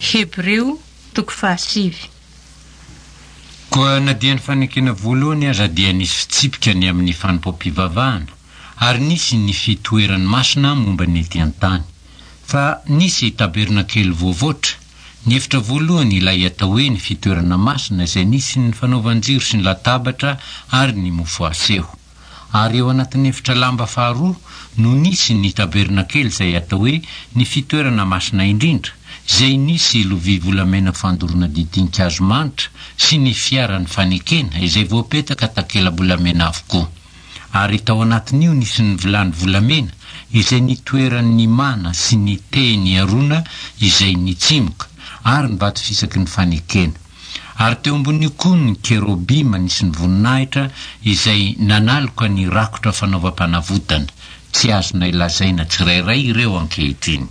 Hebreo toko fahasivy. Koa na dia ny fanekena voalohany aza dia nisy fitsipika ny amin'ny fanompoam-pivavahana, ary nisy ny fitoerany masina momba ny ety an-tany. Fa nisy tabernakely voavoatra, ny efitra voalohany ilay atao hoe ny fitoerana masina izay nisy ny fanaovan-jiro sy ny latabatra ary ny mofo aseho. Ary eo anatin'ny efitra lamba faharoa no nisy ny tabernakely izay atao hoe ny fitoerana masina indrindra, izay nisy lovia volamena fandoroana ditin-kazo manitra sy ny fiaran'ny fanekena izay voapetaka takela-bolamena avokoa. Ary tao anatin'io nisy ny vilany volamena izay nitoeran'ny mana sy ny tehin'i Arona izay nitsimoka, ary ny vato fisaky ny fanekena. Ary teo ambonin'io koa ny kerobima nisy ny voninahitra izay nanaloka ny rakotra fanaovam-panavotana. Tsy azonay lazaina tsirairay ireo ankehitriny.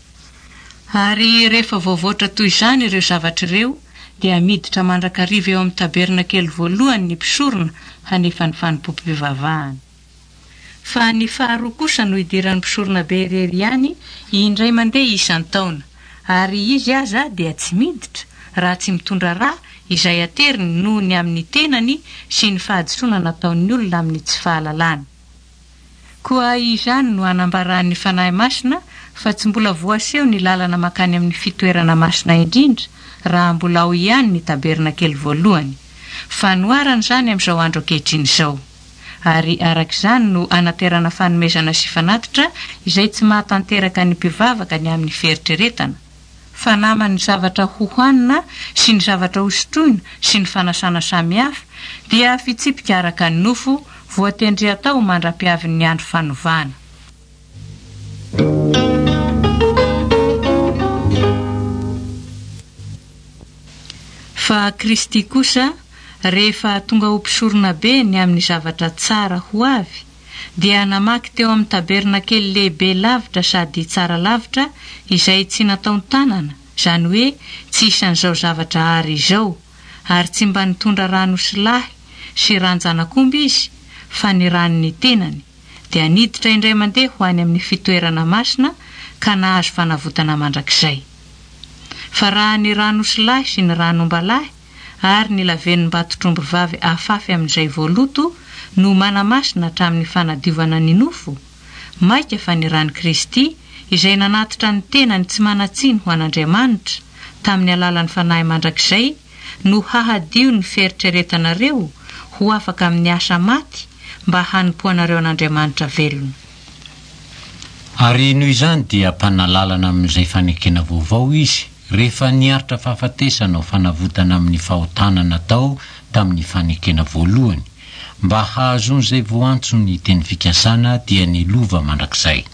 Ary rehefa voavoatra toy izany ireo zavatra ireo, dia miditra mandrakariva eo amin'ny tabernakely voalohany ny mpisorona hanefa ny fanompoam-pivavahana. Fa ny faharoa kosa no idiran'ny mpisoronabe irery ihany indray mandeha isan-taona, ary izy aza dia tsy miditra raha tsy mitondra rà izay ateriny noho ny amin'ny tenany sy ny fahadisoana nataon'ny olona amin'ny tsy fahalalana. Koa izany no anambaran'ny Fanahy Masina fa tsy mbola voaseho ny lalana mankany amin'ny fitoerana masina indrindra raha mbola ao ihany ny tabernakely voalohany. Fanoharana izany amin'izao andro ankehitriny izao. Ary araka izany no anaterana fanomezana sy fanatitra izay tsy mahatanteraka ny mpivavaka ny amin'ny fieritreretana, fa naman'ny zavatra hohanina sy ny zavatra hosotroina sy ny fanasana samihafa dia fitsipika araka ny nofo voatendry hatao mandra-piavin'ny andro fanovana. Fa Kristy kosa, rehefa tonga ho mpisoronabe ny amin'ny zavatra tsara ho avy, dia namaky teo amin'ny tabernakely lehibe lavitra sady tsara lavitra izay tsy nataon-tanana, izany hoe tsy isan'izao zavatra àry izao, ary tsy mba nitondra ran'osilahy sy ran-janak'omby izy, fa ny ran'ny tenany, dia niditra indray mandeha ho any amin'ny fitoerana masina ka nahazo fanavotana mandrakizay. Fa raha ny ran'osilahy sy ny ran'ombalahy ary ny lavenom-batotr'omby vavy afafy amin'izay voaloto no manamasina hatramin'ny fanadiovana ny nofo, mainka fa ny ran'i Kristy izay nanatitra ny tenany tsy manan-tsiny ho an'Andriamanitra tamin'ny alalan'ny Fanahy mandrakizay no hahadio ny fieritreretanareo ho afaka amin'ny asa maty mba hanompoanareo an'Andriamanitra velona. Ary noho izany dia mpanalalana amin'izay fanekena vaovao izy, rehefa niaritra fahafatesana ho fanavotana amin'ny fahotana natao tamin'ny fanekena voalohany, mba hahazoan'izay voantso ny teny fikasana dia ny lova mandrakizay.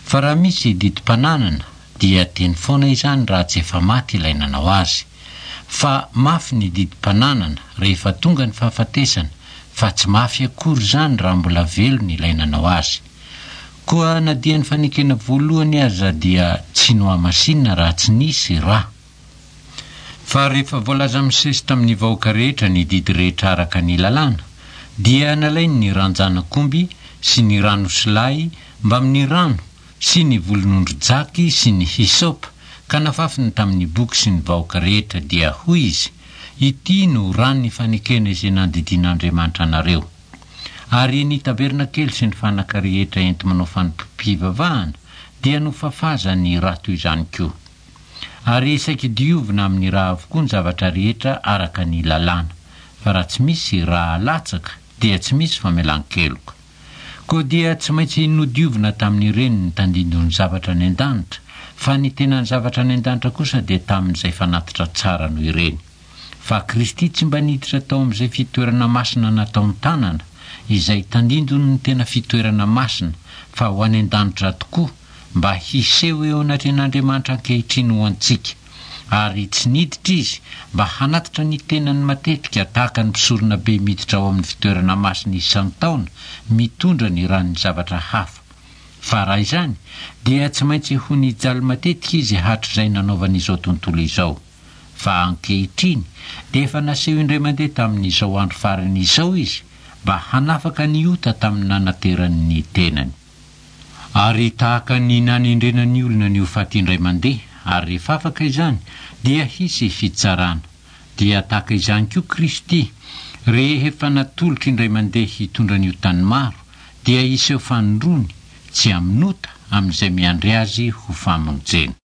Fa raha misy didim-pananana dia teny foana izany raha tsy efa maty ilay nanao azy. Fa mafy ny didim-pananana rehefa tonga ny fahafatesana fa tsy mafy akory izany raha mbola velona ilay nanao azy. Koa na dia ny fanekena voalohany aza dia tsy nohamasinina raha tsy nisy ra. Fa rehefa voalaza misesy tamin'ny vahoaka rehetra ny didy rehetra araka ny lalàna, dia nalainy ny ran-janak'omby sy ny ran'osilahy mbamin'ny rano sy ny volon'ondry jaky sy ny hysopa ka nafafiny tamin'ny boky sy ny vahoaka rehetra, dia hoy izy, Ity no ran'ny fanekena izay nandidian'Andriamanitra anareo. Ary ny tabernakely sy ny fanaka rehetra enti-manao fanompoam-pivavahana dia nofafazany ra toy izany koa. Ary saiky diovina amin'ny ra avokoa ny zavatra rehetra araka ny lalàna, fa raha tsy misy ra alatsaka dia tsy misy famelan-keloka. Koa dia tsy maintsy nodiovina tamin'ireny ny tandindon'ny zavatra any an-danitra, fa ny tenan'ny zavatra any an-danitra kosa dia tamin'izay fanatitra tsara noho ireny. Fa Kristy tsy mba niditra tao amin'izay fitoerana masina nataon-tanana, izay tandindon'ny tena fitoerana masina, fa ho any an-danitra tokoa, mba hiseho eo anatrehan'Andriamanitra ankehitriny ho antsika. Ary tsy niditra Izy mba hanatitra ny tenany matetika tahaka ny mpisoronabe miditra ao amin'ny fitoerana masina isan-taona mitondra ny ran'ny zavatra hafa. Fa raha izany, dia tsy maintsy ho nijaly matetika Izy hatrizay nanaovany izao tontolo izao. Fa ankehitriny dia efa naseho indray mandeha tamin'izao andro farany izao Izy mba hanafaka ny ota tamin'ny nanaterany ny tenany. Ary tahaka ny nanendrena ny olona ny ho faty indray mandeha, ary rehefa afaka izany, dia hisy fitsarana. Dia tahaka izany koa Kristy, rehefa natolotra indray mandeha hitondra ny otan'ny maro, dia hiseho fanindroany, tsy amin'ota, amin'izay miandry Azy ho famonjena.